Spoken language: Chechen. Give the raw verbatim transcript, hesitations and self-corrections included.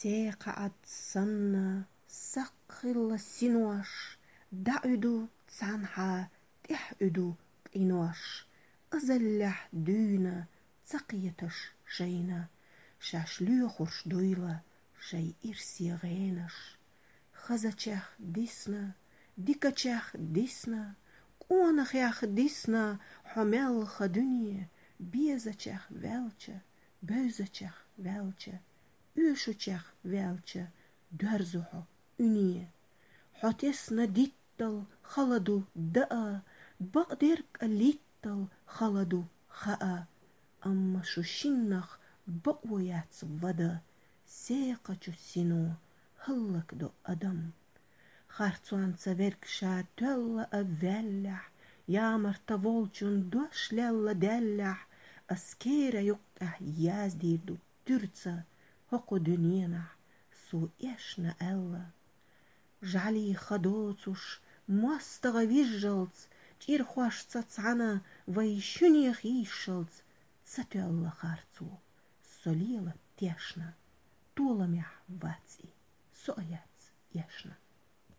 Секхаӏад санна сакхилла синош, дӏаӏуьду цанхьа, тӏехӏуьду къинош. Азаллехь дуьйна ца кхеташ шайна, шаьш лоьхурш дуйла шай ирсе гӏенаш. Хазачех дисна, дикачех дисна, къонахех дисна хьо мел ха дуьне, безачех ваьлча, бевзачех ваьлча, оьшучех ваьлча, доьрзу хьо уьне. Хьо тесна диттал хала ду даа, бакъдерг а литтал хала ду хаа. Амма шу шиннах бакъо яц вада, секхачу сино хӏаллакдо адам. Харцонца верг ша тоьлла а ваьллехь, ямарта волчун дош лелла даьллехь, ас кера юккъехь яздийр ду туьрца хӏокху дуьненахь со эшна аьлла. ЖӀаьлий ха доцуш, мостагӀа вижжалц, чӀирхошца цхьаьна вай шуьнех йийшшалц, ца тоьлла харцо со лела тешна, толамехь вац и, со а яц эшна.